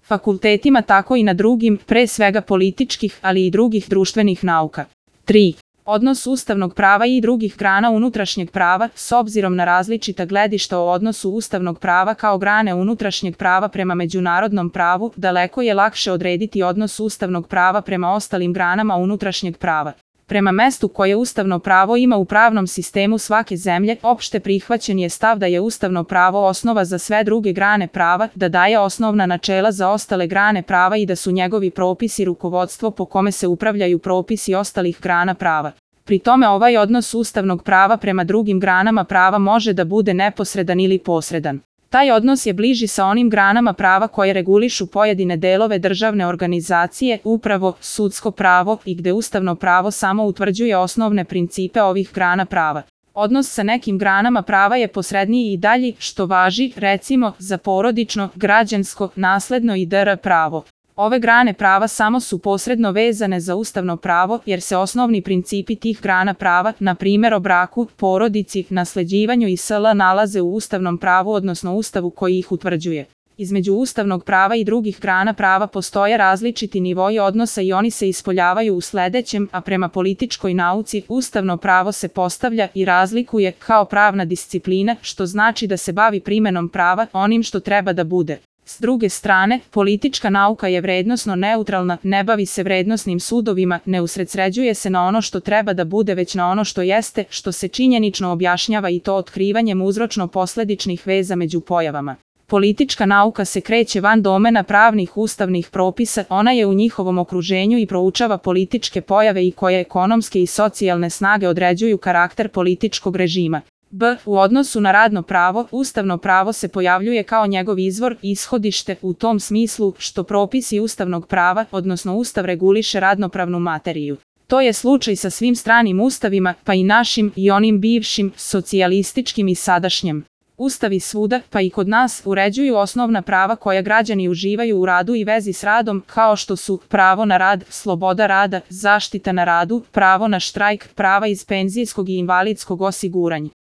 fakultetima tako i na drugim, pre svega političkih, ali i drugih društvenih nauka. 3. Odnos ustavnog prava i drugih grana unutrašnjeg prava, s obzirom na različita gledišta o odnosu ustavnog prava kao grane unutrašnjeg prava prema međunarodnom pravu, daleko je lakše odrediti odnos ustavnog prava prema ostalim granama unutrašnjeg prava. Prema mestu koje ustavno pravo ima u pravnom sistemu svake zemlje, opšte prihvaćen je stav da je ustavno pravo osnova za sve druge grane prava, da daje osnovna načela za ostale grane prava i da su njegovi propisi rukovodstvo po kome se upravljaju propisi ostalih grana prava. Pri tome ovaj odnos ustavnog prava prema drugim granama prava može da bude neposredan ili posredan. Taj odnos je bliži sa onim granama prava koje regulišu pojedine delove državne organizacije, upravo, sudsko pravo i gde ustavno pravo samo utvrđuje osnovne principe ovih grana prava. Odnos sa nekim granama prava je posredniji i dalji, što važi, recimo, za porodično, građansko, nasledno i dr. pravo. Ove grane prava samo su posredno vezane za ustavno pravo, jer se osnovni principi tih grana prava, na primjer o braku, porodici, nasleđivanju i sl. Nalaze u ustavnom pravu, odnosno ustavu koji ih utvrđuje. Između ustavnog prava i drugih grana prava postoje različiti nivoi odnosa i oni se ispoljavaju u sledećem, a prema političkoj nauci, ustavno pravo se postavlja i razlikuje kao pravna disciplina, što znači da se bavi primenom prava, onim što treba da bude. S druge strane, politička nauka je vrednosno neutralna, ne bavi se vrednosnim sudovima, ne usredsređuje se na ono što treba da bude već na ono što jeste, što se činjenično objašnjava i to otkrivanjem uzročno-posledičnih veza među pojavama. Politička nauka se kreće van domena pravnih ustavnih propisa, ona je u njihovom okruženju i proučava političke pojave i koje ekonomske i socijalne snage određuju karakter političkog režima. U odnosu na radno pravo, ustavno pravo se pojavljuje kao njegov izvor, ishodište, u tom smislu što propisi ustavnog prava, odnosno ustav reguliše radnopravnu materiju. To je slučaj sa svim stranim ustavima, pa i našim i onim bivšim, socijalističkim i sadašnjem. Ustavi svuda, pa i kod nas, uređuju osnovna prava koja građani uživaju u radu i vezi s radom, kao što su pravo na rad, sloboda rada, zaštita na radu, pravo na štrajk, prava iz penzijskog i invalidskog osiguranja.